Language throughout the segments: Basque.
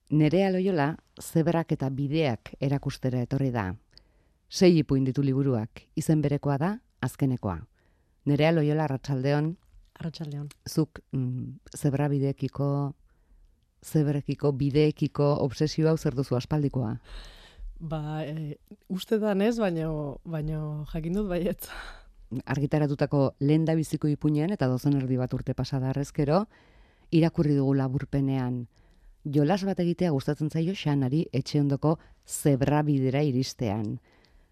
Nerea Loiola zebrak eta bideak erakustera etorri da. 6 ipuin ditu liburuak, izen berekoa da azkenekoa. Nerea Loiola, arratsaldeon. Arratsaldeon. Zuk zebra bideekiko, bideekiko obsesio hau zer duzu aspaldikoa? Uste da ez, baino jakin dut baietz. Argitaratutako lehendabiziko ipuinean eta dozen erdi bat urte pasada arrezkero, irakurri dugu laburpenean. Jolas bat egitea gustatzen zaio Xanari etxe ondoko zebra bidera iristean.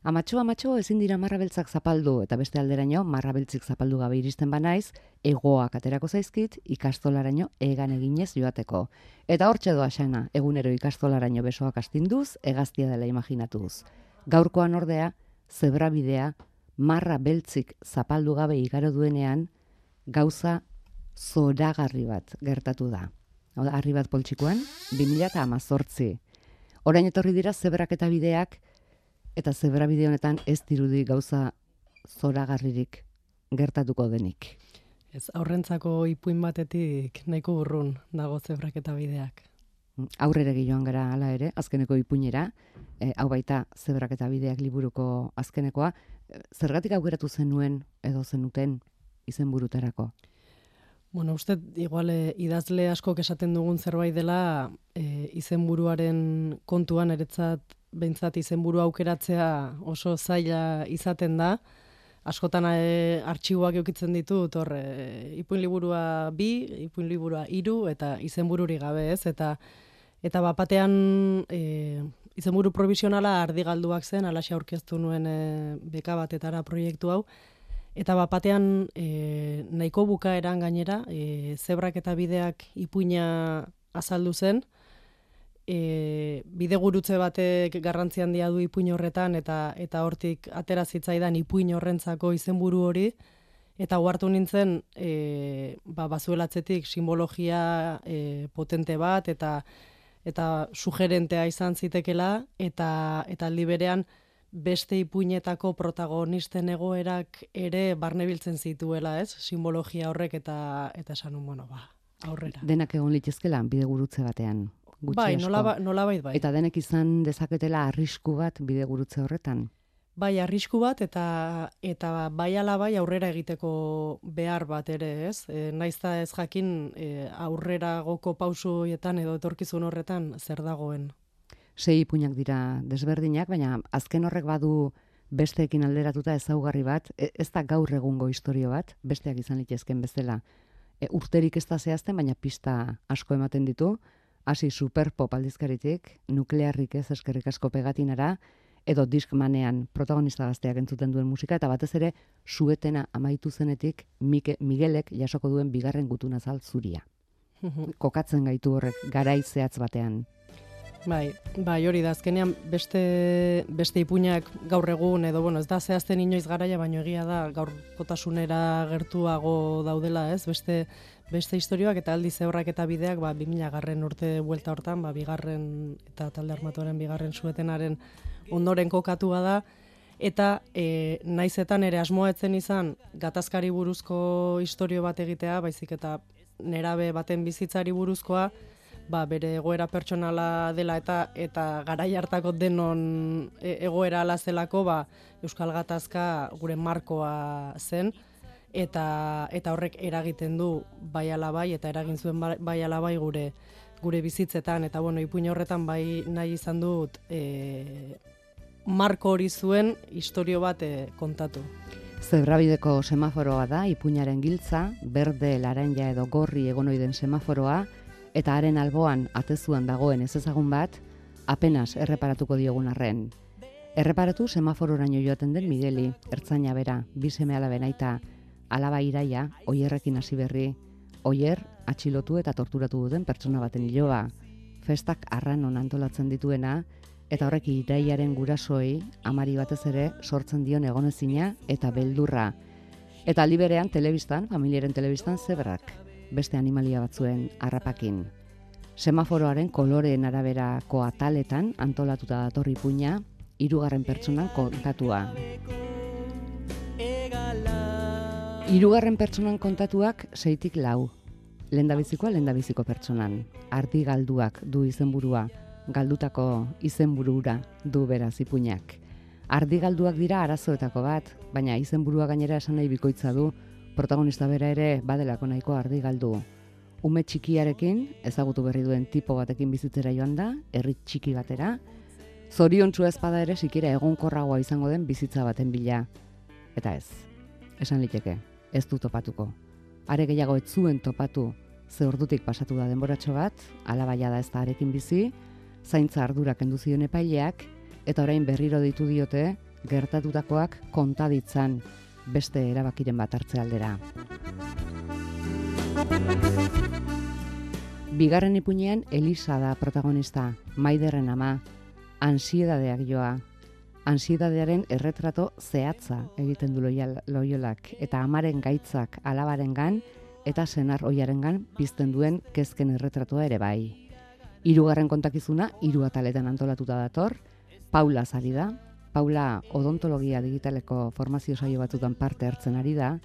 Amatxo ezin dira marrabeltzak zapaldu eta beste alderaino marrabeltzik zapaldu gabe iristen banaiz, hegoak aterako zaizkit ikastolaraino egan eginez joateko. Eta hortxe doa Xana, egunero ikastolaraino besoak astinduz, hegaztia dela imaginatuz. Gaurkoan ordea, zebra bidea marra beltzik zapaldu gabe igaro duenean, gauza zoragarri bat gertatu da. Harri bat poltsikoan, 2018. Orain etorri dira zebrak eta bideak, eta zebra bide honetan ez dirudi gauza zoragarririk gertatuko denik. Ez, aurrentzako ipuin batetik nahiko urrun dago zebrak eta bideak. Aurrera joan gara hala ere, azkeneko ipuinera, hau baita zebrak eta bideak liburuko azkenekoa, zergatik aukeratu zenuen edo zenuten izenburutarako? Bueno, uste igual idazle askok esaten dugun zerbait dela izenburuaren kontuan eretzat behintzat izenburu aukeratzea oso zaila izaten da. Askotan artxiboak eukitzen ditut, ipuin liburua 2, ipuin liburua 3 eta izenbururi gabe ez. Eta bapatean izenburu provisionala ardigalduak zen, alaxe aurkeztu nuen beka batetara proiektu hau. Eta bapatean nahiko bukaeran gainera, zebrak eta bideak ipuina azaldu zen, bide gurutze batek garrantzi handia du ipuin horretan eta hortik atera zitzaidan ipuin horrentzako izenburu hori, eta ohartu nintzen bazuelatzetik simbologia potente bat eta sugerentea izan zitekela, eta aldi berean beste ipuinetako protagonisten egoerak ere barnebiltzen zituela, ez? Simbologia horrek eta esan aurrera. Denak egon litezkela bide gurutze batean. Bai, nolabait bai. Eta denek izan dezaketela arrisku bat bide gurutze horretan. Bai, arrisku bat eta bai ala bai aurrera egiteko behar bat ere, ez? Naizta ez jakin aurreragoko pausu horietan edo etorkizun horretan zer dagoen. 6 ipuinak dira desberdinak, baina azken horrek badu besteekin alderatuta ezaugarri bat, ez da gaur egungo istorio bat, besteak izan litezken bezala. Urterik ez da zehazten, baina pista asko ematen ditu, hasi superpop aldizkaritik, nuklearrik ez eskerrik asko pegatinara, edo Discmanean protagonista gazteak entzuten duen musika, eta batez ere suetena amaitu zenetik Miguelek jasoko duen bigarren gutunazal zuria. Kokatzen gaitu horrek garai zehatz batean. Bai, hori da, azkenean beste ipuinak gaur egun, edo ez da zehazten inoiz garaia, baino egia da gaurkotasunera gertuago daudela, ez? Beste istorioak eta aldi zebrak eta bideak 2000 urte buelta hortan, bigarren eta talde armatuaren bigarren suetenaren ondoren kokatua da, eta naizetan ere asmoetzen izan gatazkari buruzko istorio bat egitea, baizik eta nerabe baten bizitzari buruzkoa, bere egoera pertsonala dela eta garai hartako denon egoera ala zelako, Euskal Gatazka gure markoa zen, eta horrek eragiten du bai ala bai, eta eragin zuen bai ala bai gure bizitzetan, eta ipuin horretan bai nahi izan dut marko hori zuen istorio bat kontatu. Zebrabideko semaforoa da, ipuinaren giltza, berde, laranja edo gorri egonoiden semaforoa, eta haren alboan atezuan dagoen ezezagun bat, apenas erreparatuko diogun arren. Erreparatu semafororaino joaten den Migueli, ertzaina bera, 2 seme-alaben aita, alaba Iraia, Oierrekin hasi berri, Oier atxilotu eta torturatu duten pertsona baten iloba, festak arranon antolatzen dituena, eta horrek Iraiaren gurasoei, amari batez ere, sortzen dion egonezina eta beldurra. Eta aldi berean telebistan, familiaren telebistan zebrak, beste animalia batzuen harrapakin. Semaforoaren koloreen araberako ataletan antolatuta datorri ipuina, 3. pertsonan kontatua. 3. pertsonan kontatuak 6-4. lehendabiziko pertsonan. Ardi galduak du izenburua, galdutako izenburura du beraz ipuinak. Ardi galduak dira arazoetako bat, baina izenburua gainera esan nahi bikoitza du, protagonista bera ere badelako nahiko ardi galdu. Ume txikiarekin, ezagutu berri duen tipo batekin bizitzera joan da, herri txiki batera, zoriontsua ez bada ere sikira egonkorragoa izango den bizitza baten bila. Eta ez, esan liteke, ez du topatuko. Are gehiago ez zuen topatu, ze ordutik pasatu da denboratxo bat, alabaia da ez da arekin bizi, zaintza ardura kendu zion epaileak, eta orain berriro ditu diote, gertatutakoak konta ditzan beste erabakiren bat hartze aldera. Bigarren ipuinean Elisa da protagonista, Maiderren ama, antsiedadeak joa. Antsiedadearen erretrato zehatza egiten du Loiolak, eta amaren gaitzak alabarengan eta senar ohiarengan pizten duen kezken erretratoa ere bai. Hirugarren kontakizuna 3 ataletan antolatuta dator. Paula ari da. Paula odontologia digitaleko formazio saio batzutan parte hartzen ari da.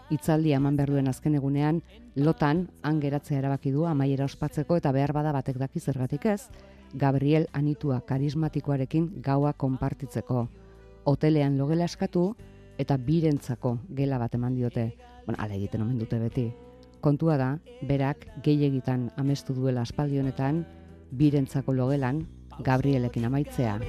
Hitzaldia eman behar duen azken egunean, lotan han geratzea erabaki du amaiera ospatzeko eta behar bada batek daki zergatik ez, Gabriel anitua karismatikoarekin gaua konpartitzeko. Hotelean logela eskatu eta birentzako gela bat eman diote. Hala egiten omen dute beti. Kontua da, berak gehiegitan amestu duela aspaldi honetan, birentzako logelan Gabrielekin amaitzea.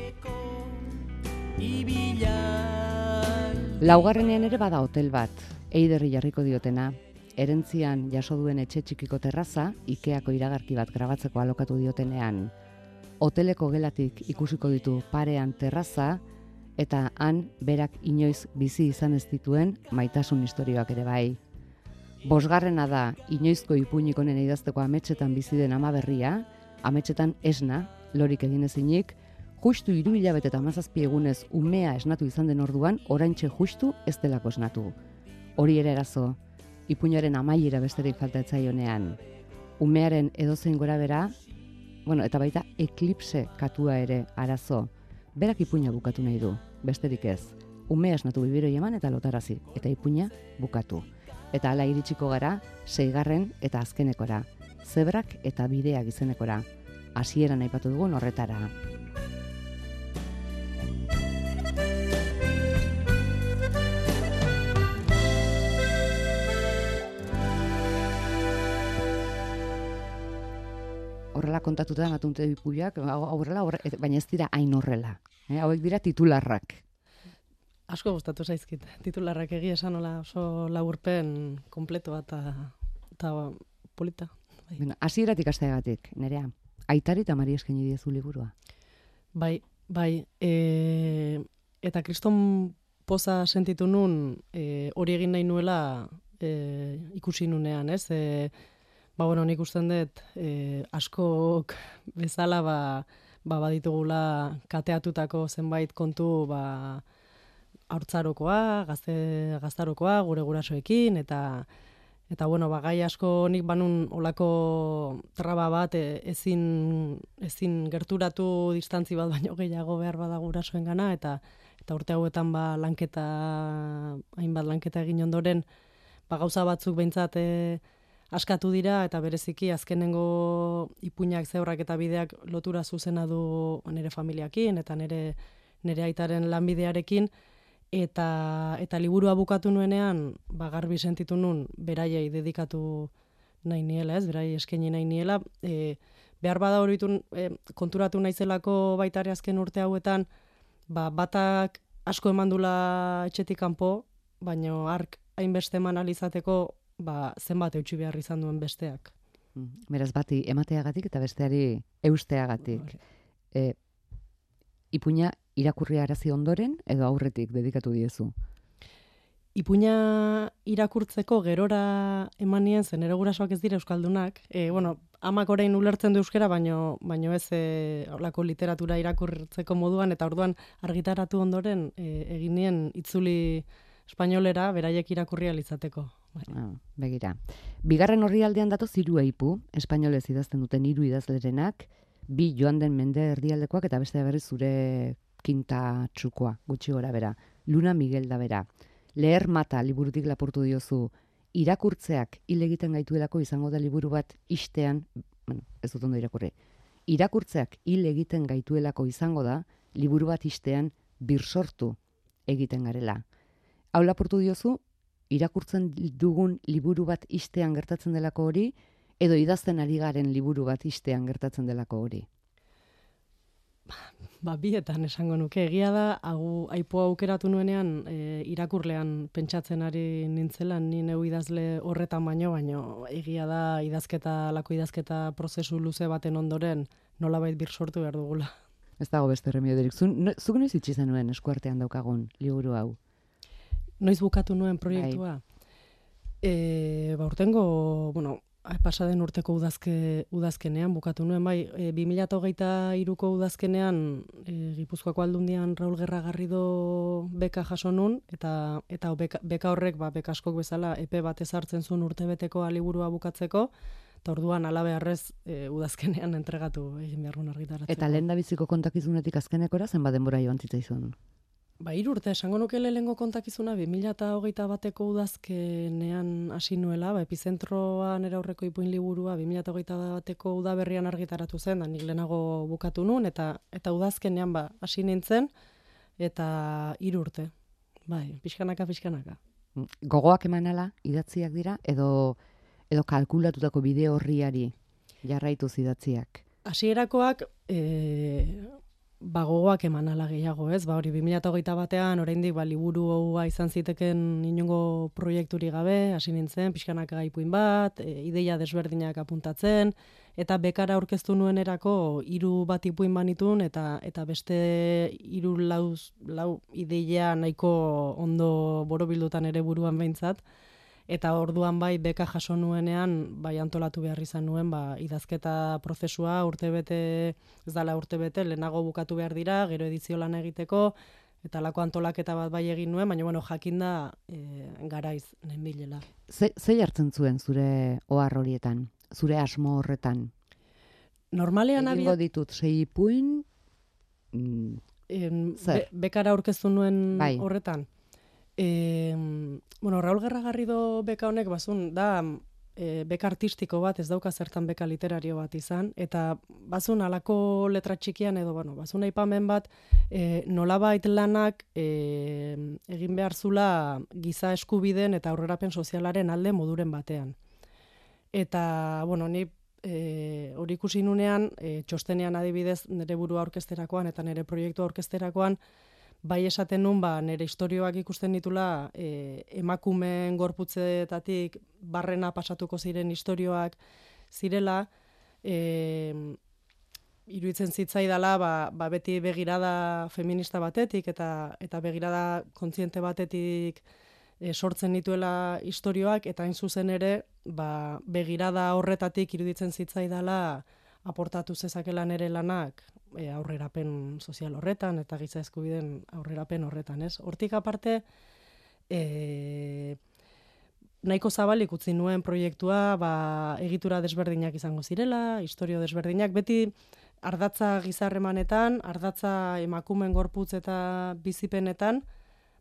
Laugarrenean ere bada hotel bat, Eiderri jarriko diotena. Erentzian jaso duen etxe txikiko terraza, Ikeako iragarki bat grabatzeko alokatu diotenean. Hoteleko gelatik ikusiko ditu parean terraza, eta han berak inoiz bizi izan ez dituen maitasun istorioak ere bai. 5. da inoizko ipuinik honen idazteko ametsetan bizi den ama berria, ametsetan esna, lorik egin ezinik, justu 3 hilabete eta 17 egunez umea esnatu izan den orduan, oraintxe justu ez delako esnatu. Hori ere erazo, ipuinaren amaiera besterik falta etzaionean. Umearen edozein gora bera, eta baita eklipse katua ere arazo. Berak ipuina bukatu nahi du, besterik ez. Umea esnatu bibiroi eman eta lotarazi, eta ipuina bukatu. Eta hala iritsiko gara, 6. eta azkenekora. Zebrak eta bideak izenekora. Hasieran aipatu dugun horretara. Horrela kontatuta ematunte ipuiak, aurrela, baina ez dira hain horrela. Hauek dira titularrak. Asko gustatu zaizkit. Titularrak egia esan hola oso laburpen kompleto eta polita. Hasieratik hasteagatik, Nerea. Aitari eta Mari eskaini diezu liburua. Bai. Eta kriston poza sentitu nun hori egin nahi nuela ikusi nunean, ez? Nik usten dut askok bezala baditugula kateatutako zenbait kontu haurtzarokoa, gaztarokoa, gure gurasoekin, eta gai asko nik banun olako traba bat ezin gerturatu distantzi bat baino gehiago behar bada gurasoen gana, eta urte hauetan hainbat lanketa egin ondoren, gauza batzuk behintzat askatu dira, eta bereziki azkenengo ipuinak zeurrak eta bideak lotura zuzena du nire familiakin, eta nire aitaren lanbidearekin, eta liburua bukatu nuenean, garbi sentitu nun, beraiei dedikatu nahi niela, beraiei eskaini nahi niela, behar bada hori konturatu naizelako baitare azken urte hauetan, batak asko emandula etxetik kanpo, baino ark hainbeste eman alizateko, zenbat eutxi behar izan duen besteak. Beraz, bati emateagatik eta besteari eusteagatik. Ipuina irakurri arazi ondoren edo aurretik dedikatu diezu? Ipuina irakurtzeko gerora eman nien, zen ere gurasoak ez dira euskaldunak. Amak orain ulertzen du euskera, baino ez olako literatura irakurtzeko moduan, eta orduan argitaratu ondoren egin nien itzuli espainolera beraiek irakurri alizateko. Begira. Bigarren orrialdean datoz 3 ipu, espainolez idazten duten 3 idazlerenak, 2 joan den mende erdialdekoak eta beste berriz zure kinta txukoa, gutxi gora bera. Luna Miguel da bera. Leher mata liburutik lapurtu diozu irakurtzeak hil egiten gaituelako izango da liburu bat ixtean, ez dut ondo irakurri, irakurtzeak hil egiten gaituelako izango da liburu bat ixtean birsortu egiten garela. Hau lapurtu diozu, irakurtzen dugun liburu bat ixtean gertatzen delako hori, edo idazten ari garen liburu bat ixtean gertatzen delako hori? Bietan esango nuke. Egia da, aipoa aukeratu nuenean, irakurlean pentsatzen ari nintzela, ni neu idazle horretan baino egia da lako idazketa prozesu luze baten ondoren nolabait birsortu behar dugula. Ez dago beste remediorik. Zuk noiz itxi zenuen eskuartean daukagun liburu hau? Noiz bukatu nuen proiektua? Urtengo, pasaden urteko udazkenean bukatu nuen, 2023ko udazkenean Gipuzkoako Aldundian Raul Gerra Garrido beka jaso nun, eta beka horrek, beka askok bezala, epe bat ezartzen zuen urtebeteko liburua bukatzeko, eta orduan alabeharrez udazkenean entregatu egin behar argitaratzeko. Eta lehendabiziko kontakizunetik azkenekora zenbat denbora joan zitzaizun? 3 urte, esango nuke lehenengo kontakizuna 2021ko udazkenean hasi nuela, Epizentroa nere aurreko ipuin liburua 2021ko udaberrian argitaratu zen, da nik lehenago bukatu nun, eta udazkenean hasi nintzen, eta 3 urte. Pixkanaka. Gogoak emanala idatziak dira, edo kalkulatutako bide horriari jarraituz idatziak? Hasierakoak gogoak eman ala gehiago, ez? Hori 2021an oraindik liburu hau izan ziteken inongo proiekturi gabe, hasi nintzen, pixkanaka ipuin bat, ideia desberdinak apuntatzen, eta bekara aurkeztu nuenerako 3 bat ipuin banitun, eta beste 3-4 ideia nahiko ondo borobildutan ere buruan behintzat. Eta orduan beka jaso nuenean, antolatu behar izan nuen, idazketa prozesua urtebete, lehenago bukatu behar dira, gero edizio lan egiteko, eta lako antolaketa bat egin nuen, baina jakinda garaiz nenbilela. Zei hartzen zuen zure ohar horietan, zure asmo horretan? Normalean egingo ditut 6 ipuin, bekara aurkeztu nuen horretan. Raul Gerra Garrido beka honek da beka artistiko bat, ez dauka zertan beka literario bat izan, eta bazun alako letra txikian edo, bazun aipamen bat, nolabait lanak egin behar zula giza eskubideen eta aurrerapen sozialaren alde moduren batean. Eta, ni hori ikusi nunean, txostenean adibidez nire burua orkesterakoan eta nire proiektu orkesterakoan, esaten nun, nire istorioak ikusten ditula emakumeen gorputzetatik barrena pasatuko ziren istorioak zirela, iruditzen zitzaidala, beti begirada feminista batetik eta begirada kontziente batetik sortzen dituela istorioak, eta hain zuzen ere, begirada horretatik iruditzen zitzaidala aportatu zezakela nere lanak aurrerapen sozial horretan eta giza eskubideen aurrerapen horretan, ez? Hortik aparte, nahiko zabalik utzi nuen proiektua, egitura desberdinak izango zirela, istorio desberdinak, beti ardatza gizarremanetan, ardatza emakumeen gorputz eta bizipenetan,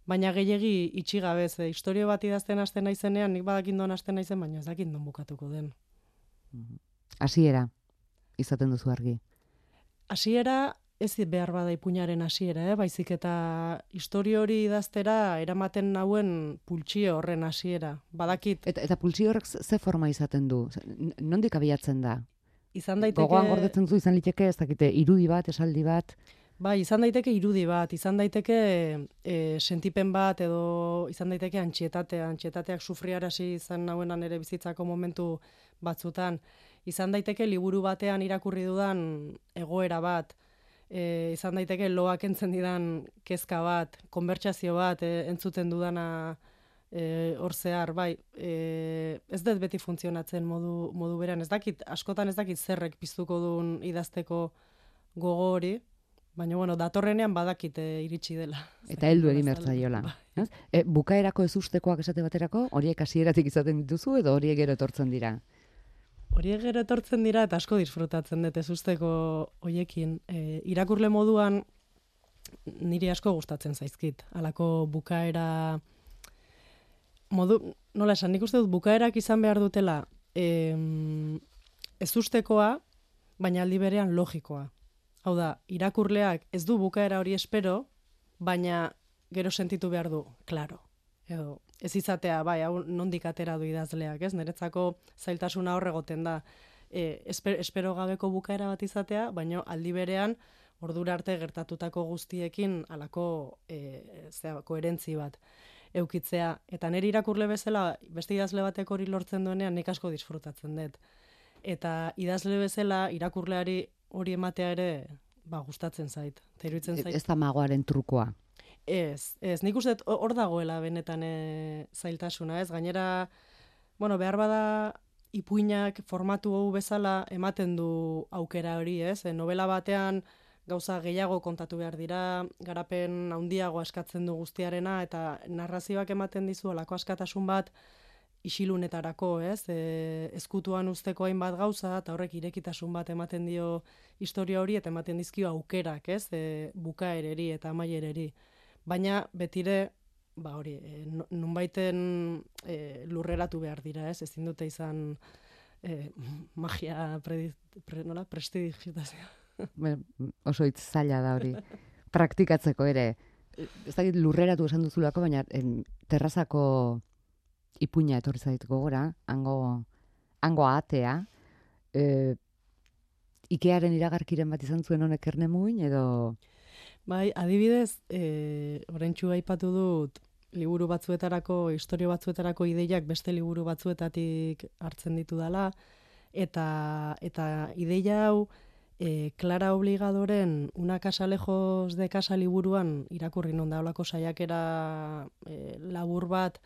baina gehiegi itxigabez, istorio bat idazten hasten naizenean, nik badakindon hasten naizen, baina ez dakindon bukatuko den. Hasiera izaten duzu argi. Hasiera ez behar bada ipuinaren hasiera, baizik eta istorio hori idaztera eramaten nauen pultsio horren hasiera. Badakit. Eta pultsio horrek ze forma izaten du? Nondik abiatzen da? Izan daiteke... Gogoan gordetzen zu izan liteke, ez dakite, irudi bat, esaldi bat? Izan daiteke irudi bat, izan daiteke sentipen bat, edo izan daiteke antxietateak sufriarazi izan nauenan ere bizitzako momentu batzutan. Izan daiteke liburu batean irakurri dudan egoera bat, izan daiteke loak entzen didan kezka bat, konbertsazio bat entzuten dudana hor zehar, ez dut beti funtzionatzen modu beran, askotan ez dakit zerrek piztuko duen idazteko gogo hori, baina datorrenean badakit iritsi dela. Eta heldu egin bertzaiola. Bukaerako ezustekoak esate baterako, horiek hasieratik izaten dituzu edo horiek gero etortzen dira? Horiek gero etortzen dira eta asko disfrutatzen dut ezusteko hoiekin. Irakurle moduan niri asko gustatzen zaizkit. Halako bukaera nola esan, nik uste dut bukaerak izan behar dutela ez ustekoa, baina aldi berean logikoa. Hau da, irakurleak ez du bukaera hori espero, baina gero sentitu behar du, klaro. Edo, ez izatea, bai, hau nondik atera du idazleak, ez? Niretzako zailtasuna hor egoten da. Espero gabeko bukaera bat izatea, baina aldi berean ordura arte gertatutako guztiekin halako koherentzi bat eukitzea. Eta nire irakurle bezala, beste idazle batek hori lortzen duenean, nik asko disfrutatzen dut. Eta idazle bezala, irakurleari hori ematea ere, gustatzen zait. Ez da magoaren trukoa. Ez, nik uste hor dagoela benetan zailtasuna, ez? Gainera, behar bada ipuinak formatu hau bezala ematen du aukera hori, ez? Novela batean gauza gehiago kontatu behar dira, garapen handiago askatzen du guztiarena, eta narrazioak ematen dizu olako askatasun bat isilunetarako, ez? Ezkutuan usteko hainbat gauza, eta horrek irekitasun bat ematen dio historia hori, eta ematen dizkio aukerak, ez? Bukaereri eta amaiereri. Baina betire, nunbaiten lurreratu behar dira, ez? Ezin dute izan magia prestidigitazioa. Oso hitz zaila da hori. Praktikatzeko ere. Ez dakit lurreratu esan duzulako, baina terrazako ipuina etorri zait gogora, hango atea. Ikearen iragarkiren bat izan zuen honek Ernemuin, edo... Bai, adibidez, oraintsu aipatu dut liburu batzuetarako, istorio batzuetarako ideiak beste liburu batzuetatik hartzen ditu dela, eta ideia hau Clara Obligadoren Una casa lejos de casa liburuan irakurri non da holako saiakera labur bat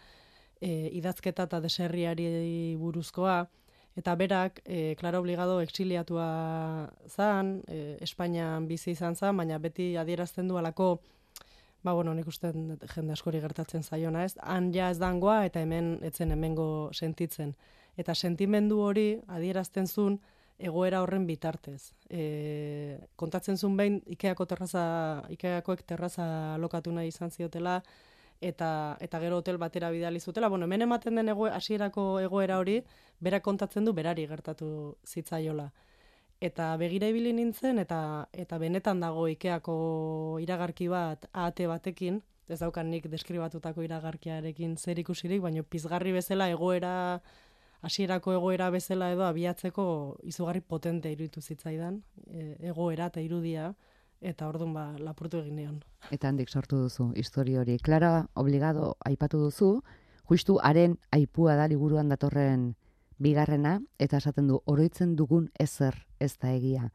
idazketa eta deserriari buruzkoa, eta berak, Clara Obligado exiliatua zan, Espainian bizi izan zan, baina beti adierazten du alako, nik uste jende askori gertatzen zaiona, ez? Han ja ez dangoa eta hemen etzen hemengo sentitzen. Eta sentimendu hori adierazten zuen egoera horren bitartez. Kontatzen zuen behin Ikeakoek terraza lokatu nahi izan ziotela, eta gero hotel batera bidali zutela. Hemen ematen den hasierako egoera hori, berak kontatzen du berari gertatu zitzaiola. Eta begira ibili nintzen, eta benetan dago Ikeako iragarki bat ahate batekin, ez daukan nik deskribatutako iragarkiarekin zer ikusirik, baina pizgarri bezala hasierako egoera bezala edo abiatzeko izugarri potente iruditu zitzaidan, egoera eta irudia, eta orduan lapurtu egin nion. Eta handik sortu duzu historia hori. Clara Obligado aipatu duzu, justu haren aipua da liburuan datorren bigarrena, eta esaten du, oroitzen dugun ezer ez da egia.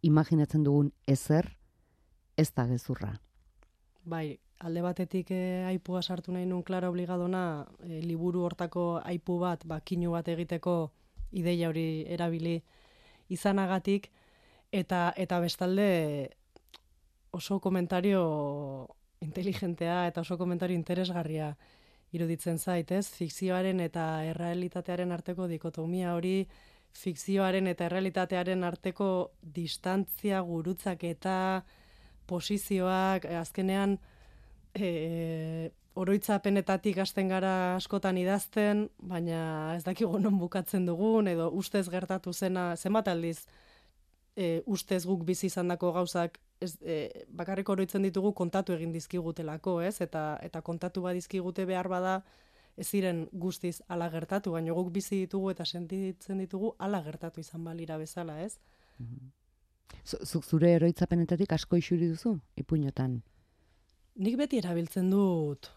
Imaginatzen dugun ezer ez da gezurra. Bai, alde batetik aipua sartu nahi nun Clara Obligadona, liburu hortako aipu bat, kinu bat egiteko ideia hori erabili izanagatik, eta bestalde oso komentario inteligentea eta oso komentario interesgarria iruditzen zait, ez? Fikzioaren eta errealitatearen arteko dikotomia hori, fikzioaren eta errealitatearen arteko distantzia, gurutzak eta posizioak, azkenean oroitzapenetatik hasten gara askotan idazten, baina ez dakigu non bukatzen dugun, edo ustez gertatu zena, zenbat aldiz ustez guk bizi izandako gauzak bakarrik oroitzen ditugu kontatu egin dizkigutelako, ez? Eta kontatu badizkigute behar bada ez ziren guztiz hala gertatu, baina guk bizi ditugu eta sentitzen ditugu hala gertatu izan balira bezala, ez? Zuk zure oroitzapenetatik asko isuri duzu, ipuinotan? Nik beti erabiltzen dut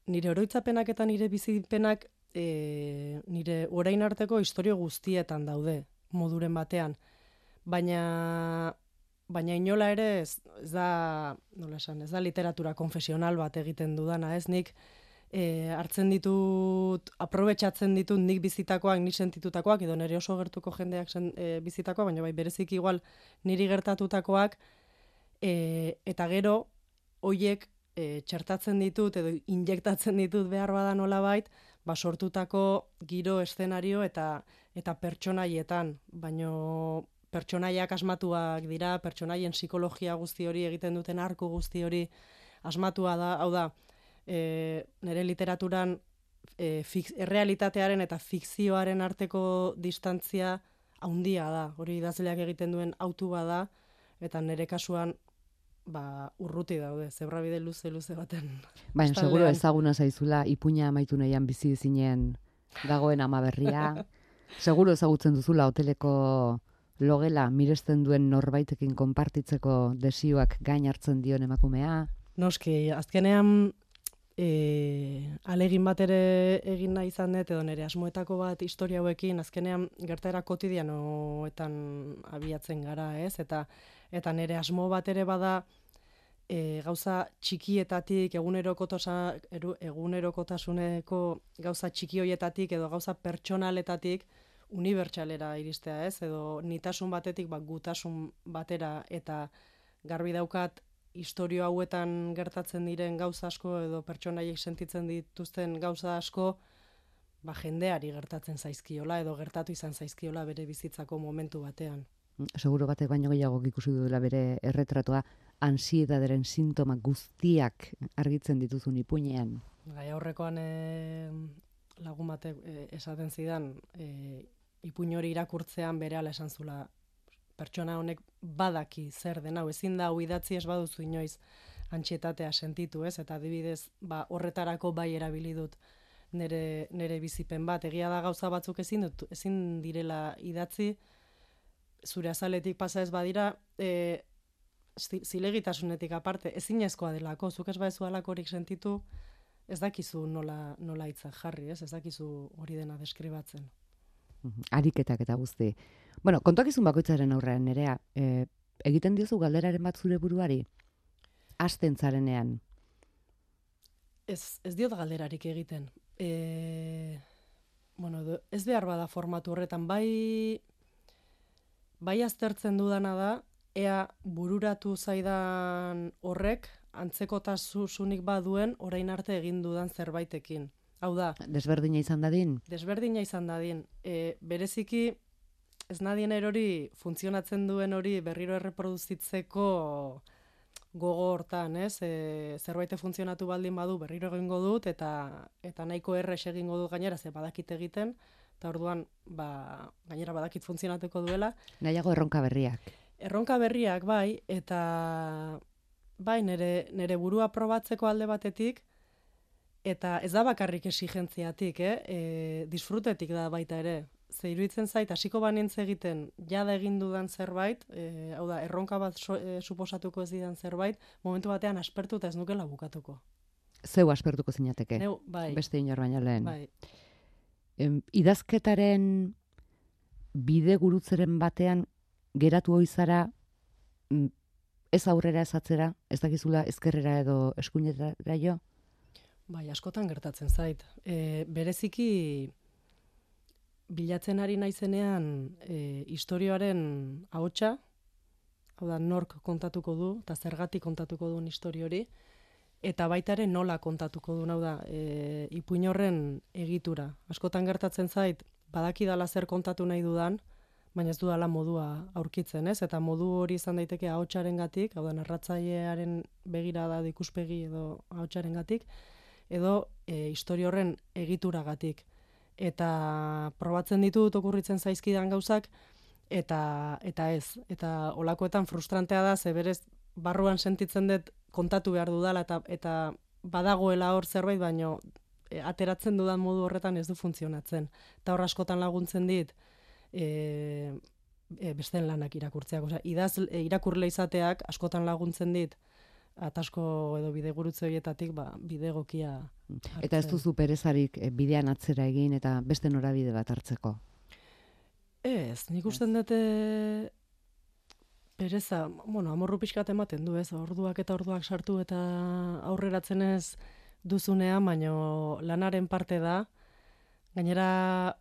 nire oroitzapenak eta nire bizipenak nire orain arteko istorio guztietan daude, moduren batean. Baina inola ere ez da literatura konfesional bat egiten dudana, ez? Nik hartzen ditut, aprobetxatzen ditut nik bizitakoak, nik sentitutakoak, edo nire oso gertuko jendeak bizitakoak, baina bai berezik igual niri gertatutakoak, eta gero hoiek txertatzen ditut edo injektatzen ditut behar bada nolabait, sortutako giro, eszenario eta pertsonaietan, baino pertsonaiak asmatuak dira, pertsonaien psikologia guzti hori egiten duten arku guzti hori asmatua da, hau da, nire literaturan errealitatearen eta fikzioaren arteko distantzia haundia da. Hori idazleak egiten duen autu bada, eta nire kasuan urruti daude, zebrabide luze baten. Baina, seguro ezaguna zaizula, ipuina amaitu nahian bizi zinen dagoen ama berria. Seguro ezagutzen duzula hoteleko logela miresten duen norbaitekin konpartitzeko desioak gain hartzen dion emakumea. Noski, azkenean alegin bat ere egin nahi izan dut, edo nire asmoetako bat historia hauekin, azkenean gertaera kotidianoetan abiatzen gara, ez? Eta nire asmo bat ere bada gauza txikietatik, egunerokotasuneko gauza txiki hoietatik edo gauza pertsonaletatik unibertsalera iristea, ez? Edo nitasun batetik gutasun batera, eta garbi daukat historio hauetan gertatzen diren gauza asko edo pertsonaiek sentitzen dituzten gauza asko jendeari gertatzen zaizkiola edo gertatu izan zaizkiola bere bizitzako momentu batean. Seguro batek baino gehiago ikusi duela bere erretratua, ansiedaderen sintoma guztiak argitzen dituzun ipuinean. Aurrekoan lagun batek esaten zidan, ipuin hori irakurtzean berehala esan zula, pertsona honek badaki zer den hau, ezin da hau idatzi ez baduzu inoiz antsietatea sentitu, ez? Eta adibidez, horretarako bai erabili dut nire bizipen bat. Egia da gauza batzuk ezin direla idatzi, zure azaletik pasa ez badira, zilegitasunetik aparte, ezinezkoa delako, zuk ez badezu halakorik sentitu, ez dakizu nola hitzak jarri, ez dakizu hori dena deskribatzen. Ariketak eta guzti. Bueno, kontuak izun bakoitzaren aurrean, Nerea, egiten diozu galderaren bat zure buruari? Hasten zarenean? Ez diot galderarik egiten. Ez behar bada formatu horretan, bai aztertzen dudana da, ea bururatu zaidan horrek antzekotasunik baduen orain arte egin dudan zerbaitekin. Hau da. Desberdina izan dadin? Desberdina izan dadin. Bereziki, ez nadien erori funtzionatzen duen hori berriro erreproduzitzeko gogo hortan, ez? Zerbaite funtzionatu baldin badu berriro egingo dut, eta nahiko errex egingo dut gainera, ze badakit egiten, eta orduan, gainera badakit funtzionatuko duela. Nahiago erronka berriak. Erronka berriak, bai, eta bai, nire burua probatzeko alde batetik, eta ez da bakarrik esigentziatik, disfrutetik da baita ere. Ze iruditzen zait, hasiko banintz egiten, jada egin dudan zerbait, hau da, erronka bat suposatuko ez didan zerbait, momentu batean aspertuta ez nukela bukatuko. Zeu aspertuko zinateke? Neu, bai. Beste inor baino lehen. Bai. Idazketaren bide gurutzeren batean geratu oizara ez aurrera ez atzera, ez dakizula ezkerrera edo eskuinetara jo? Bai, askotan gertatzen zait. Bereziki bilatzen ari naizenean istorioaren ahotsa, hau da, nork kontatuko du, eta zergatik kontatuko duen istorio hori, eta baita ere nola kontatuko duen, hau da, ipuin horren egitura. Askotan gertatzen zait, badakidala zer kontatu nahi dudan, baina ez dudala modua aurkitzen, ez? Eta modu hori izan daiteke ahotsarengatik, hau da, narratzailearen begirada ikuspegi edo ahotsarengatik, edo istorio horren egituragatik. Eta probatzen ditut okurritzen zaizkidan gauzak, eta ez. Eta olakoetan frustrantea da, ze berez barruan sentitzen dut kontatu behar dudala, eta badagoela hor zerbait, baino ateratzen dudan modu horretan ez du funtzionatzen. Eta hor askotan laguntzen dit, besteen lanak irakurtzeak. Osea, irakurle izateak askotan laguntzen dit, atasko edo bidegurutze horietatik bide egokia hartzen. Eta ez duzu perezarik bidean atzera egin eta beste norabide bat hartzeko? Ez, nik usten dute pereza, amorru pixkat ematen du, ez, orduak eta orduak sartu eta aurreratzen ez duzunean, baino lanaren parte da, gainera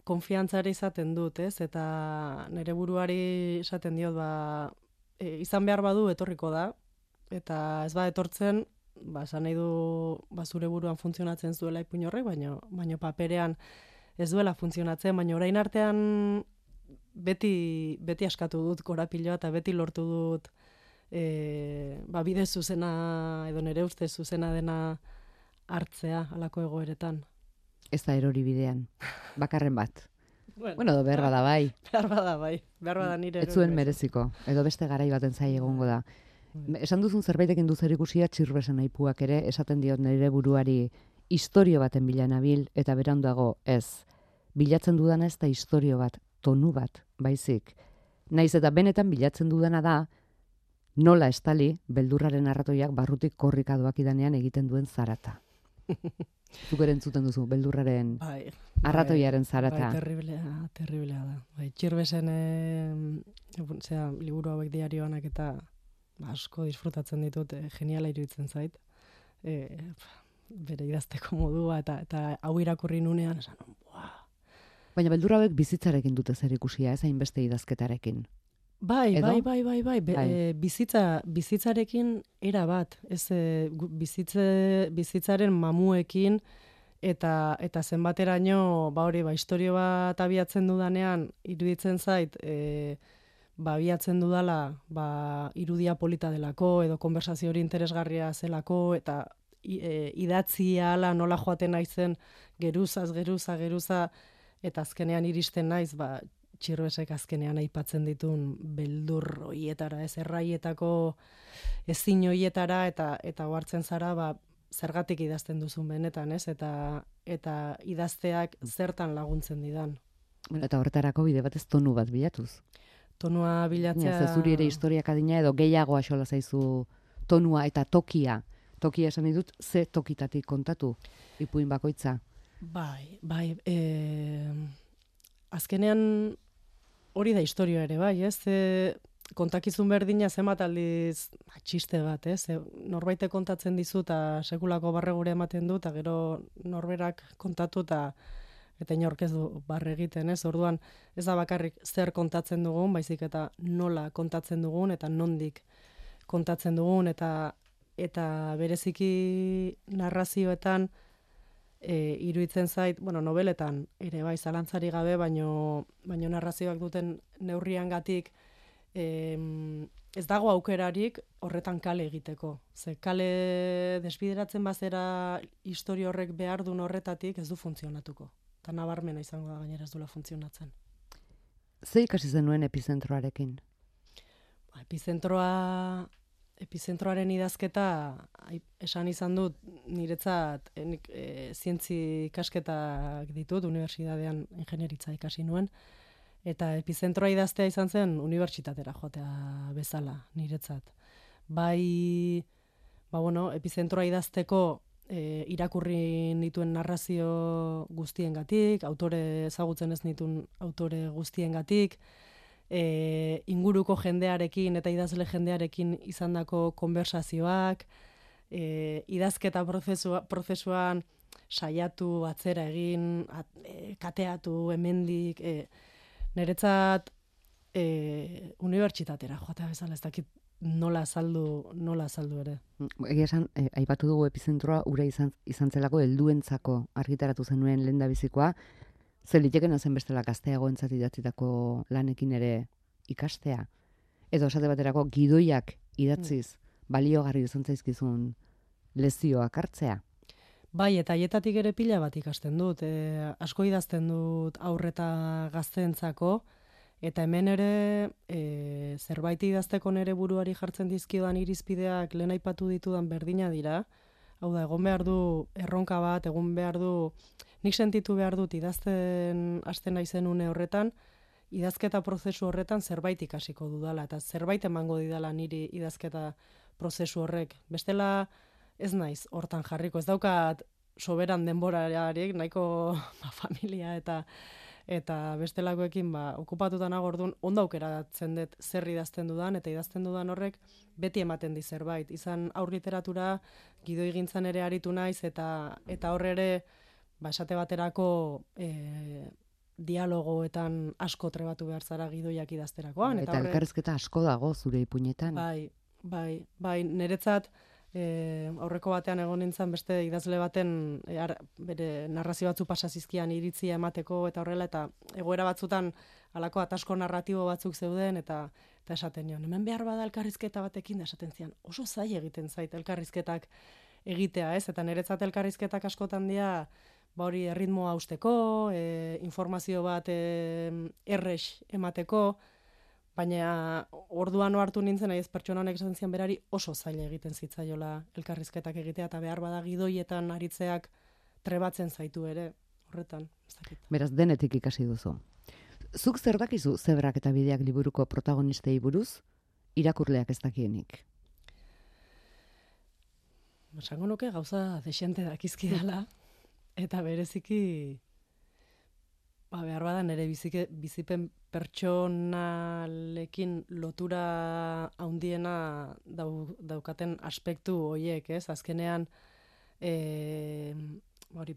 konfiantzare izaten dut, ez, eta nire buruari esaten diot, izan behar badu etorriko da, eta ez etortzen, esan nahi du zure buruan funtzionatzen zuela ipuin horrek, baino paperean ez duela funtzionatzen, baina orain artean beti askatu dut korapiloa eta beti lortu dut bide zuzena edo nire ustez zuzena dena hartzea halako egoeretan. Ez da erori bidean, bakarren bat. Bueno, behar bada bai. Behar bada nire. Ez zuen mereziko, edo beste garai baten zai egongo da. Esan duzun zerbaitekin du zerikusia Txirbesen aipuak ere, esaten diot nire buruari istorio baten bila nabil, eta beranduago ez. Bilatzen dudana ez da istorio bat, tonu bat, baizik. Naiz eta benetan bilatzen dudana da, nola estali beldurraren arratoiak barrutik korrika doakidanean egiten duen zarata. Zuk ere entzuten duzu, beldurraren arratoiaren zarata. Bai, terriblea da. Bai, Txirbesen liburu hauek diarioanak eta asko disfrutatzen ditut, geniala iruditzen zait. Bere idazteko modua eta hau irakurri nunean, esan, Baina beldur hauek bizitzarekin dute zer ikusia, ez hainbeste idazketarekin. Bai. Bizitzarekin era bat, ez bizitzaren mamuekin eta zenbateraino istorio bat abiatzen dudanean iruditzen zait abiatzen dudala irudia polita delako edo konversazio hori interesgarria zelako eta idatzia ala nola joaten naizen geruza eta azkenean iristen naiz Txirbesek azkenean aipatzen ditun beldur hoietara, ez erraietako ezin hoietara eta ohartzen zara zergatik idazten duzun benetan, ez? Eta idazteak zertan laguntzen didan. Bueno, eta horretarako bide batez tonu bat bilatuz. Tonua bilatzea... Ze zuri ere historiak adina edo gehiago axola zaizu tonua eta tokia. Tokia esan ditut, ze tokitatik kontatu ipuin bakoitza. Bai. Azkenean hori da historia ere, bai, ez? Kontakizun berdina zenbat aldiz txiste bat, ez? Norbaite kontatzen dizu eta sekulako barregure ematen du, eta gero norberak kontatu eta inork ez du barre egiten, ez? Orduan ez da bakarrik zer kontatzen dugun, baizik eta nola kontatzen dugun eta nondik kontatzen dugun eta bereziki narrazioetan iruditzen zait, nobeletan ere bai zalantzari gabe, baino narrazioak duten neurriangatik ez dago aukerarik horretan kale egiteko. Ze kale desbideratzen bazera istorio horrek behar duen horretatik ez du funtzionatuko. Eta nabarmena izango da gainera ez duela funtzionatzen. Ze ikasi zenuen epizentroarekin? Epizentroaren idazketa esan izan dut niretzat zientzi ikasketak ditut, unibertsitatean ingenieritza ikasi nuen, eta epizentroa idaztea izan zen unibertsitatera joatea bezala niretzat. Epizentroa idazteko irakurri nituen narrazio guztiengatik, autore ezagutzen ez nituen autore guztiengatik, inguruko jendearekin eta idazle jendearekin izandako konversazioak, idazketa prozesuan saiatu, atzera egin, kateatu, hemendik, niretzat unibertsitatera joatea bezala, ez dakit nola azaldu ere. Egia esan, aipatu dugu epizentroa ura izan zelako helduentzako argitaratu zenuen lehendabizikoa, zer litekena zen bestela gazteagoentzat idatzitako lanekin ere ikastea. Edo esate baterako gidoiak idatziz baliogarri izan zaizkizun lezioak hartzea. Bai, eta haietatik ere pila bat ikasten dut. Asko idazten dut aurreta gazteentzako, eta hemen ere zerbait idazteko nere buruari jartzen dizkiodan irizpideak lehen aipatu ditudan berdina dira. Hau da, egon behar du erronka bat, egon behar du, nik sentitu behar dut idazten hasten naizen une horretan, idazketa prozesu horretan zerbait ikasiko dudala, eta zerbait emango didala niri idazketa prozesu horrek. Bestela ez naiz hortan jarriko, ez daukat soberan denborarik, nahiko familia eta bestelakoekin okupatuta nago, orduan ondo aukeratzen dut zer idazten dudan, eta idazten dudan horrek beti ematen di zerbait. Izan aur literatura, gidoigintzan ere aritu naiz, eta horre ere, esate baterako dialogoetan asko trebatu behar zara gidoiak idazterakoan. Eta elkarrizketa asko dago zure ipuinetan. Bai, niretzat aurreko batean egon nintzen beste idazle baten bere narrazio batzu pasazizkian iritzia emateko eta horrela, eta egoera batzutan halako atasko narratibo batzuk zeuden, eta esaten nion, hemen behar bada elkarrizketa batekin, da esaten zian, oso zai egiten zait elkarrizketak egitea, ez? Eta niretzat elkarrizketak askotan dira, ba hori erritmoa hausteko, informazio bat errex emateko, baina orduan hartu nintzen, ez pertsona honek esan zian berari oso zaila egiten zitzaiola elkarrizketak egitea, eta behar bada gidoietan aritzeak trebatzen zaitu ere, horretan, ez dakit. Beraz, denetik ikasi duzu. Zuk zer dakizu Zebrak eta Bideak liburuko protagonistei buruz, irakurleak ez dakienik? Esango nuke gauza desente dakizkidala, eta bereziki behar bada nire bizipen pertsonalekin lotura handiena daukaten aspektu horiek, ez? Azkenean,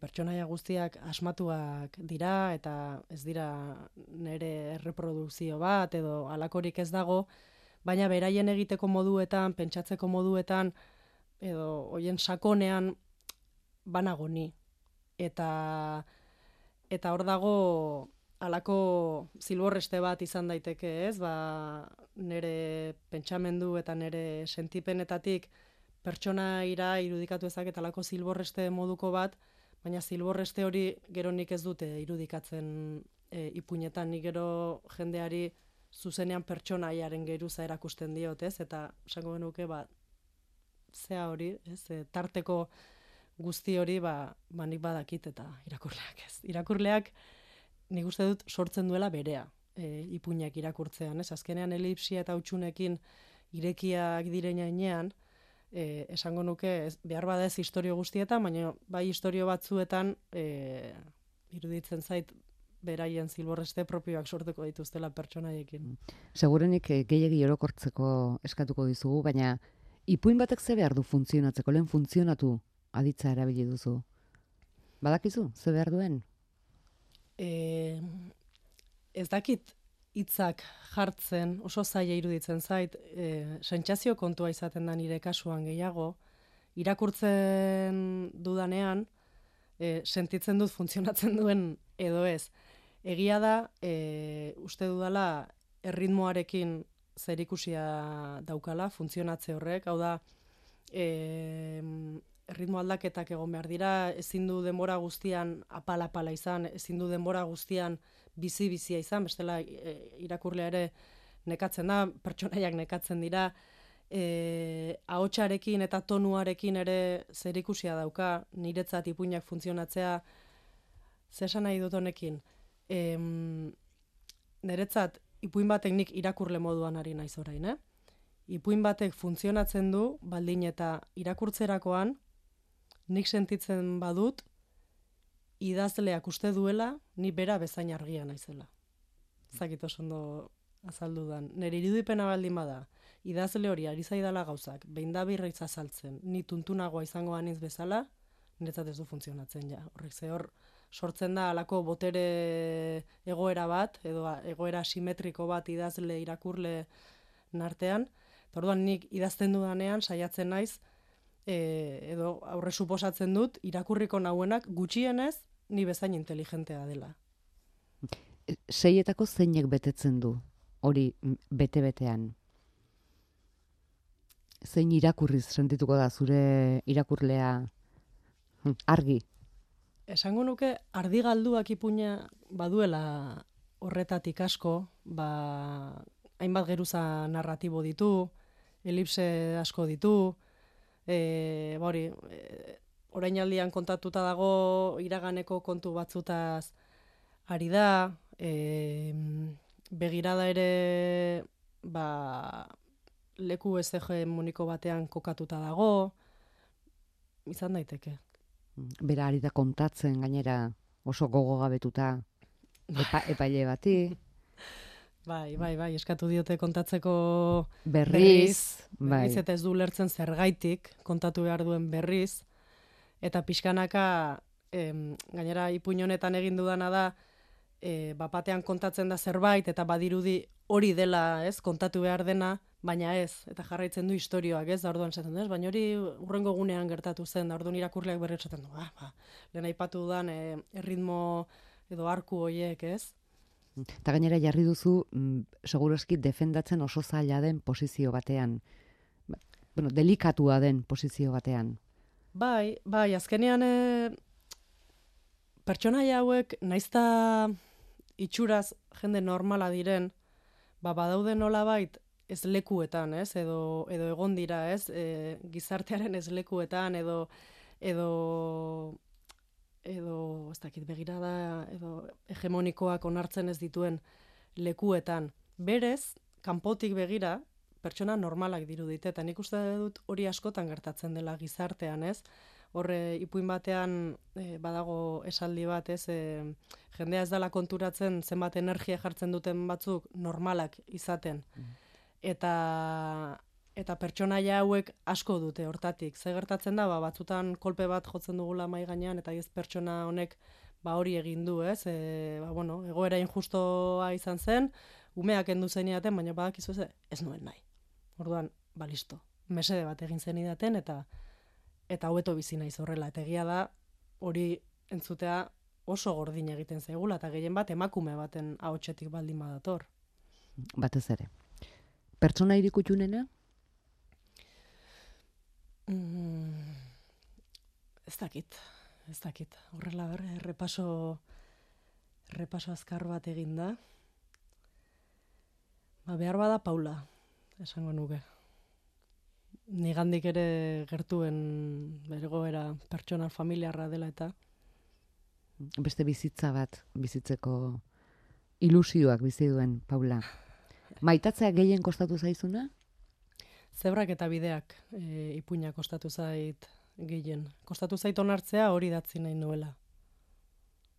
pertsonaia guztiak asmatuak dira, eta ez dira nire erreprodukzio bat, edo halakorik ez dago, baina beraien egiteko moduetan, pentsatzeko moduetan, edo hoien sakonean banago ni. Eta hor dago halako zilborreste bat izan daiteke, ez? Nire pentsamendu eta nire sentipenetatik pertsonaira irudikatu ezak halako zilborreste moduko bat, baina zilborreste hori gero nik ez dute irudikatzen ipuinetan, nik gero jendeari zuzenean pertsonaiaren geruza erakusten diot, ez? Eta esango genuke, zea hori, ez? Tarteko guzti hori, nik badakit eta irakurleak ez. Irakurleak nik uste dut sortzen duela berea ipuinak irakurtzean, ez? Azkenean elipsia eta hutsunekin irekiak direnean, esango nuke, behar bada ez historio guztietan, baina bai historio batzuetan iruditzen zait beraien zilborreste propioak sortuko dituztela pertsonaiekin. Segurenik gehiegi orokortzeko eskatuko dizugu, baina ipuin batek ze behar du funtzionatzeko, lehen funtzionatu aditza erabili duzu. Badakizu, ze behar duen? Ez dakit hitzak jartzen, oso zaila iruditzen zait, sentsazio kontua izaten da nire kasuan gehiago, irakurtzen dudanean, sentitzen dut funtzionatzen duen edo ez. Egia da, uste dudala erritmoarekin zerikusia daukala, funtzionatze horrek, hau da, erritmo aldaketak egon behar dira, ezin du denbora guztian apala izan, ezin du denbora guztian bizi-bizia izan, bestela irakurlea ere nekatzen da, pertsonaiak nekatzen dira, ahotsarekin eta tonuarekin ere zerikusia dauka, niretzat ipuinak funtzionatzea, zer esan nahi dut honekin, niretzat ipuin batek nik irakurle moduan ari naiz orain, ipuin batek funtzionatzen du, baldin eta irakurtzerakoan, nik sentitzen badut, idazleak uste duela, ni bera bezain argia naizela. Zakit oso ondo azaldudan. Nire irudipena baldin bada, idazle hori ari zaidala gauzak, behin da birritz azaltzen, ni tuntunagoa izango anitz bezala, niretzat ez du funtzionatzen ja. Horrek hor sortzen da halako botere egoera bat, edo egoera simetriko bat idazle irakurle nartean, eta orduan nik idazten dudanean saiatzen naiz, edo aurre suposatzen dut, irakurriko nauenak gutxienez ni bezain inteligentea dela. Seietako zeinek betetzen du, hori bete-betean? Zein irakurriz sentituko da zure irakurlea argi? Esango nuke ardigalduak ipuina baduela horretatik asko, hainbat geruza narratibo ditu, elipse asko ditu, orainaldian kontatuta dago iraganeko kontu batzutaz ari da, begirada ere leku ez hegemoniko batean kokatuta dago, izan daiteke. Bera ari da kontatzen gainera oso gogogabetuta epaile bati. Bai, eskatu diote kontatzeko berriz, eta ez du lertzen zergaitik kontatu behar duen berriz, eta pixkanaka, gainera ipuin honetan egin dudana da, batean kontatzen da zerbait, eta badirudi hori dela, ez, kontatu behar dena, baina ez, eta jarraitzen du istorioak, ez, da orduan esaten du, baina hori hurrengo gunean gertatu zen, da orduan irakurleak berri esaten du, lehen aipatu dudan erritmo edo arku horiek, ez. Eta gainera jarri duzu, segurazki defendatzen oso zaila den posizio batean, delikatua den posizio batean. Bai, azkenean pertsonaia hauek naizta itxuraz jende normala diren, badaude nolabait ez lekuetan, ez? Edo egon dira, ez? Gizartearen ez lekuetan edo ez dakit begirada edo hegemonikoak onartzen ez dituen lekuetan. Berez, kanpotik begira, pertsona normalak dirudite, eta nik uste dut hori askotan gertatzen dela gizartean, ez? Horre, ipuin batean badago esaldi bat, ez? Jendea ez dela konturatzen zenbat energia jartzen duten batzuk normalak izaten. Eta pertsonaia hauek asko dute hortatik. Ze gertatzen da, batzutan kolpe bat jotzen dugula mahai gainean, eta ez pertsona honek hori egin du, ez? Egoera injustoa izan zen, umeak endu zenidaten, baina badakizu ez nuen nahi. Orduan, listo. Mesede bat egin zenidaten, eta hobeto bizi naiz horrela. Eta egia da, hori entzutea oso gordin egiten zaigula, eta gehien bat emakume baten ahotsetik baldin badator. Batez ere. Pertsona irikutxunena? Ez dakit. Horrela repaso azkar bat egin da. Behar bada Paula, esango nuke. Nigandik ere gertuen bergoera pertsonal familiarra dela eta. Beste bizitza bat, bizitzeko ilusioak bizi duen Paula. Maitatzea gehien kostatu zaizuna? Zebrak eta bideak ipuina kostatu zait gehien. Kostatu zait onartzea hori datzi nahi nuela.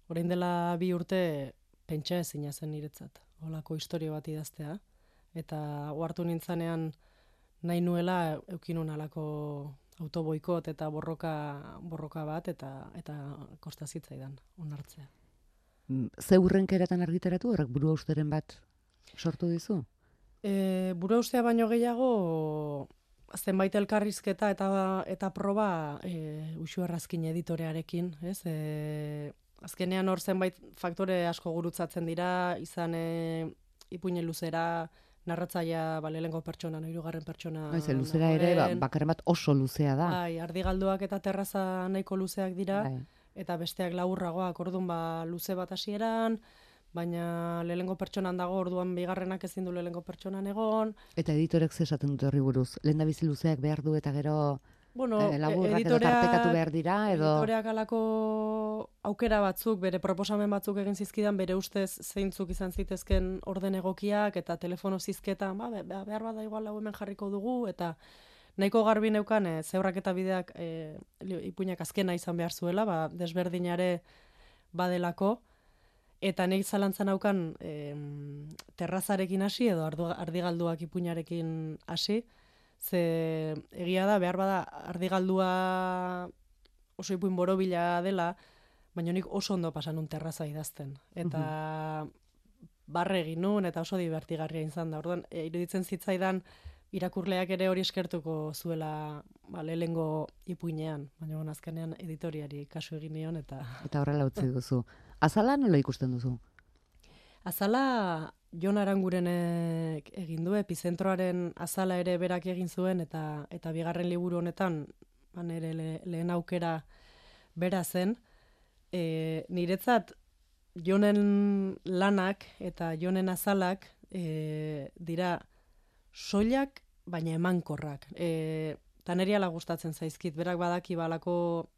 Orain dela 2 urte pentsa ezina zen niretzat. Holako historia bat idaztea. Eta ohartu nintzanean nahi nuela eukinun halako autoboikot eta borroka bat eta kosta zitzaidan onartzea. Ze hurrenkeratan argitaratu horrek buruhausteren bat sortu dizu? Buruhaustea baino gehiago zenbait elkarrizketa eta proba Uxu Errazkin editorearekin, ez? Azkenean hor zenbait faktore asko gurutzatzen dira, izan ipuinen luzera, narratzaia lehenengo pertsona, hirugarren pertsona. Luzera ere, bakarren bat oso luzea da. Bai, ardigalduak eta terraza nahiko luzeak dira, eta besteak laburragoak, orduan luze bat hasieran, baina lehenengo pertsonan dago, orduan bigarrenak ezin du lehenengo pertsonan egon. Eta editorek zesaten dute horri buruz? Lehendabizi luzeak behar du eta gero laburrak edo tartekatu behar dira? Editoreak alako aukera batzuk, bere proposamen batzuk egin zizkidan, bere ustez zeintzuk izan zitezken orden egokiak, eta telefono zizketan, behar bada igual hau hemen jarriko dugu, eta nahiko garbi neukan, zebrak eta bideak ipuinak azkena izan behar zuela, desberdinare badelako, eta nik zalantzan naukan terrazarekin hasi edo ardigalduak ipuinarekin hasi, ze egia da, behar bada ardigaldua oso ipuin borobila dela, baina nik oso ondo pasan un terraza idazten. Eta barre egin nun, eta oso divertigarria izan da. Orduan, iruditzen zitzaidan irakurleak ere hori eskertuko zuela lehengo ipuinean, baina azkenean editoriari kasu egin nion. Eta horrela utzi duzu. Azala nola ikusten duzu? Azala Jon Arangurenek egin du, Epizentroaren azala ere berak egin zuen, eta bigarren liburu honetan, nire lehen aukera bera zen. Niretzat Jonen lanak eta Jonen azalak dira soilak, baina emankorrak. Eta niri ala gustatzen zaizkit, berak badaki balako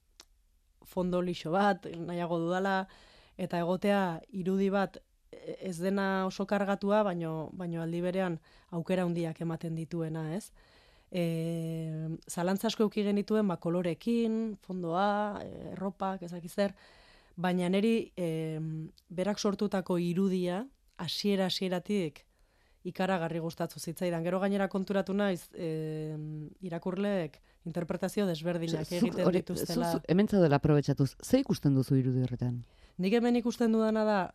fondo lixo bat, nahiago dudala, eta egotea irudi bat ez dena oso kargatua, baino aldi berean aukera handiak ematen dituena, ez? Zalantza asko eduki genituen kolorekin, fondoa, erropak, ezakizer, baina niri berak sortutako irudia hasieratik ikaragarri gustatu zitzaidan. Gero gainera konturatu naiz irakurleek interpretazio desberdinak egiten dituztela. Hemen zaudela aprobetxatuz, ze ikusten duzu irudi horretan? Nik hemen ikusten dudana da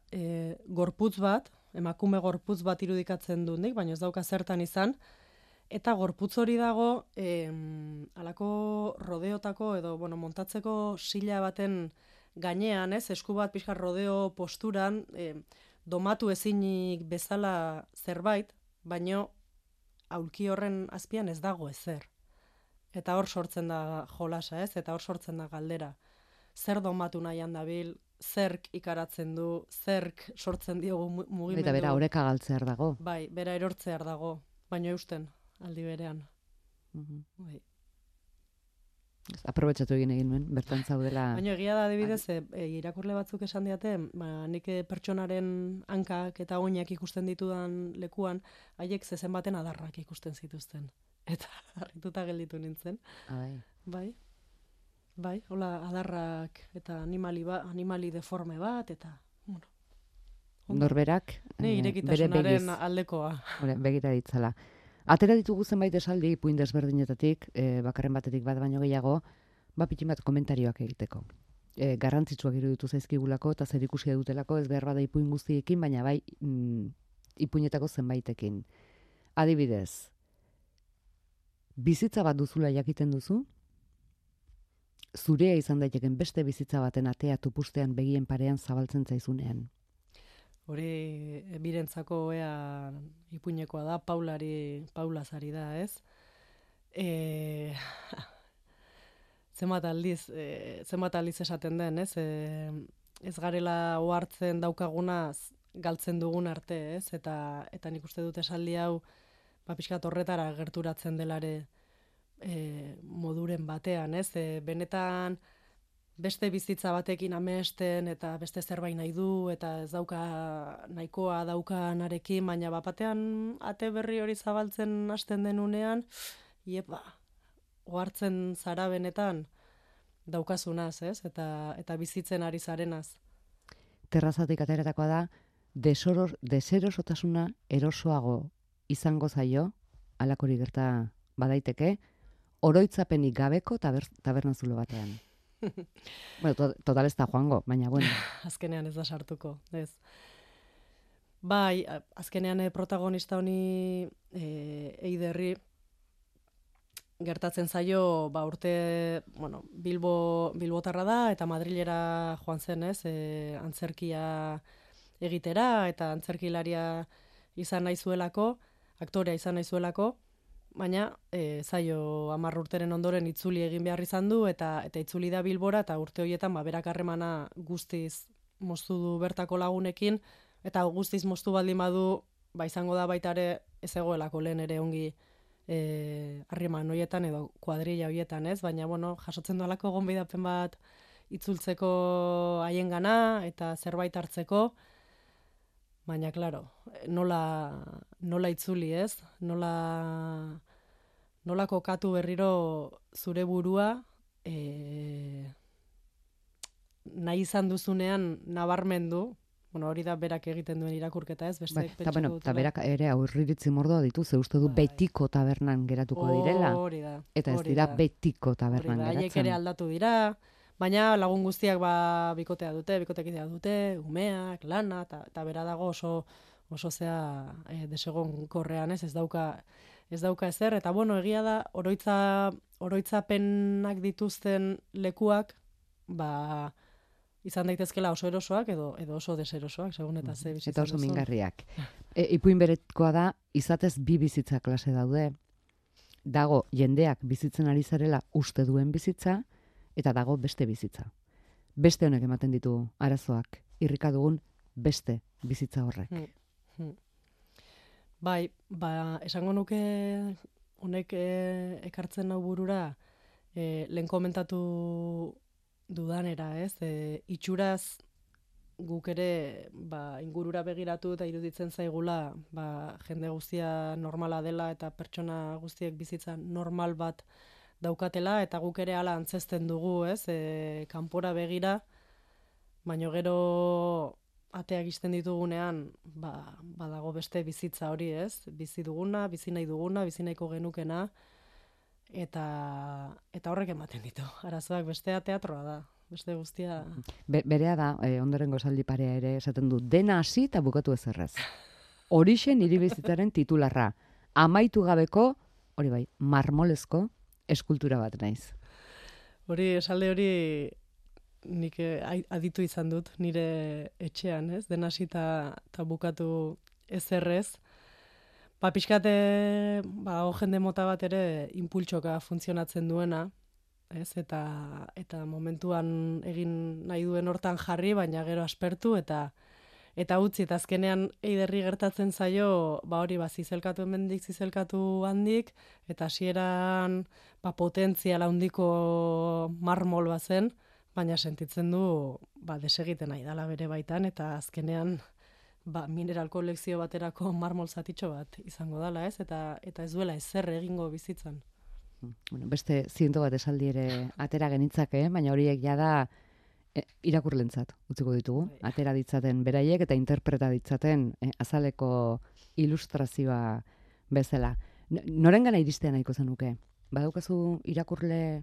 gorputz bat, emakume gorputz bat irudikatzen dut nik, baina ez dauka zertan izan, eta gorputz hori dago alako rodeotako edo montatzeko sila baten gainean, esku bat pixka rodeo posturan, domatu ezinik bezala zerbait, baino aulki horren azpian ez dago ezer. Eta hor sortzen da jolasa, ez? Eta hor sortzen da galdera. Zer domatu nahian dabil, zerk ikaratzen du, zerk sortzen diogu mugimendu. Eta bera oreka galtzear dago. Bai, bera erortzear dago, baino eusten aldi berean. Bai. Aprobetxatu egin nuen, bertan zaudela... Baina egia da, adibidez, irakurle batzuk esan diate, nik pertsonaren hankak eta oinak ikusten ditudan lekuan, haiek zezen baten adarrak ikusten zituzten. Eta harrituta gelditu nintzen. Bai, hola adarrak eta animali deforme bat, eta... Bueno, norberak irekitasunaren aldekoa. Begira ditzala. Atera ditugu zenbait esaldi ipuin desberdinetatik, bakarren batetik bat baino gehiago, pitin bat komentarioak egiteko. Garrantzitsuak iruditu zaizkigulako eta zer ikusia dutelako, ez behar bada ipuin guztiekin, baina bai ipuinetako zenbaitekin. Adibidez, bizitza bat duzula jakiten duzu, zurea izan daiteken beste bizitza baten atea tupustean begien parean zabaltzen zaizunean. Hori birentzako ipuinekoa da, Paulazari da, ez? Zenbat aldiz esaten den, ez? Ez garela ohartzen daukagunaz galtzen dugun arte, ez? Eta nik uste dut esaldi hau, pixkat horretara gerturatzen delare moduren batean, ez? Benetan beste bizitza batekin amesten eta beste zerbait nahi du eta ez dauka nahikoa daukanarekin, baina batean ate berri hori zabaltzen hasten denunean, ohartzen zara benetan daukazunaz, ez? Eta bizitzen ari zarenaz. Terrazatik ateratakoa da, deserosotasuna erosoago izango zaio, alakori gerta badaiteke, oroitzapenik gabeko tabernazulo batean. Bueno, total ez da joango, baina bueno. Azkenean ez da sartuko, ez. Bai, azkenean protagonista honi Eiderri gertatzen zaio, urte, Bilbotarra da eta Madrilera joan zen, ez, antzerkia egitera eta antzerkilaria izan nahi zuelako, aktorea izan nahi zuelako, baina zaio 10 urteren ondoren itzuli egin behar izan du eta itzuli da Bilbora eta urte horietan berak harremana guztiz moztu du bertako lagunekin eta guztiz moztu baldin badu izango da baita ere ez egoelako lehen ere ongi harreman horietan edo kuadrilla horietan, ez? Baina jasotzen duelako gonbidapen bat itzultzeko haiengana eta zerbait hartzeko. Baina, klaro, nola itzuli, ez? Nola kokatu berriro zure burua nahi izan duzunean nabarmendu, hori da berak egiten duen irakurketa, ez? Eta berak ere aurriritzi mordoa ditu, ze uste du betiko tabernan geratuko direla. Hori da. Eta ez dira betiko tabernan geratzen. Haiek ere aldatu dira, baina lagun guztiak bikotekidea dute, umeak, lana, eta bera dago oso zea desegonkorrean, ez dauka ezer, eta egia da, oroitzapenak dituzten lekuak, izan daitezkela oso erosoak edo oso deserosoak, segun eta ze bizitzen eta oso mingarriak. Ipuin beretkoa da, izatez bi bizitza klase daude, dago jendeak bizitzen ari zarela uste duen bizitza, eta dago beste bizitza. Beste honek ematen ditu arazoak, irrika dugun beste bizitza horrek. Bai, esango nuke honek ekartzen nau burura, lehen komentatu dudanera, ez? Itxuraz guk ere ingurura begiratu eta iruditzen zaigula jende guztia normala dela eta pertsona guztiek bizitza normal bat daukatela, eta guk ere hala antzesten dugu, ez? Kanpora begira, baino gero ateak ixten ditugunean, badago beste bizitza hori, ez? Bizi duguna, bizi nahi duguna, bizi nahiko genukena, eta horrek ematen ditu. Arazoak bestea teatroa da, beste guztia... Berea da, ondorengo esaldi parea ere esaten du, dena hasi eta bukatu ezerrez. Horixe nire bizitzaren titularra. Amaitu gabeko, hori bai, marmolezko, eskultura bat naiz. Esalde hori nik aditu izan dut nire etxean, ez? Den hasi eta bukatu ezerrez. Pixkate, jende mota bat ere impultsoka funtzionatzen duena, ez? Eta momentuan egin nahi duen hortan jarri, baina gero aspertu eta utzi, eta azkenean eiderri gertatzen zaio, hori zizelkatu hemendik, zizelkatu handik, eta hasieran potentziala handiko marmol bazen, baina sentitzen du desegiten nahi dala bere baitan, eta azkenean mineral kolekzio baterako marmol zatitxo bat izango dala, ez? Eta ez duela ezer egingo bizitzan. Bueno, beste 100 bat esaldi ere atera genitzake, baina horiek jada irakurlentzat utziko ditugu. Atera ditzaten beraiek eta interpreta ditzaten azaleko ilustrazioa bezala. Norengana iristea nahiko zenuke? Badaukazu irakurle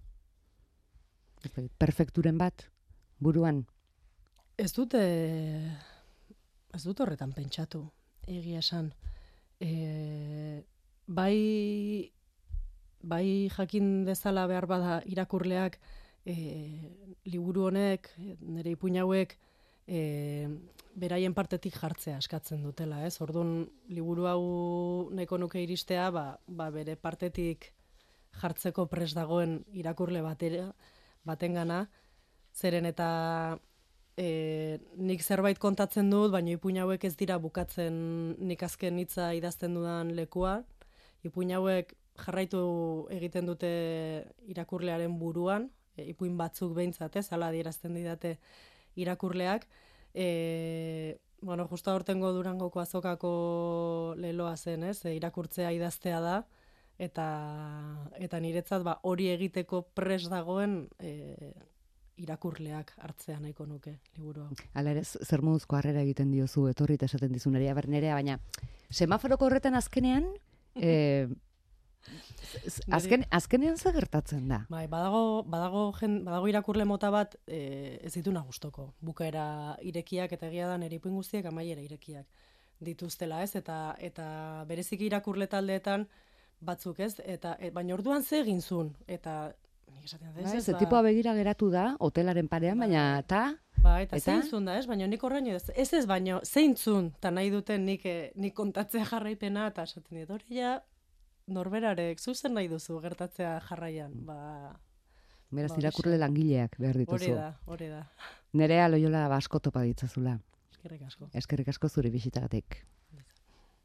perfekturen bat buruan? Ez dut horretan pentsatu, egia esan. Bai jakin dezala behar bada irakurleak liburu honek, nire ipuin hauek, beraien partetik jartzea eskatzen dutela, ez? Orduan, liburu hau nahiko nuke iristea, bere partetik jartzeko prest dagoen irakurle batengana, zeren eta nik zerbait kontatzen dut, baina ipuin hauek ez dira bukatzen nik azken hitza idazten dudan lekua. Ipuin hauek jarraitu egiten dute irakurlearen buruan, ipuin batzuk behintzat, hala adierazten didate irakurleak. Justo aurtengo Durangoko azokako leloa zen, ez? Irakurtzea idaztea da, eta niretzat hori egiteko prest dagoen irakurleak hartzea nahiko nuke liburu hau. Hala ere, zer moduzko harrera egiten diozu etorri eta esaten dizu nerea, baina semaforoko horretan azkenean, azkenean zer gertatzen da? Badago irakurle mota bat ez dituna gustoko. Bukaera irekiak eta egia da nire ipuin guztiak amaiera irekiak dituztela, ez? Eta bereziki irakurle taldeetan batzuk, ez? Baina orduan ze egin zuen? Eta ze tipoa begira geratu da, hotelaren parean, baina eta zein zuen da, ez? Baina nik horrein ez baino zein zuen, eta nahi duten nik kontatzea jarraipena, eta esaten dit, hori ja, norberarek, zuzen nahi duzu gertatzea jarraian. Beraz, irakurle langileak behar dituzu. Hori da. Nerea Loiola asko topa ditzazula. Eskerrik asko. Eskerrik asko zure bisitagatik.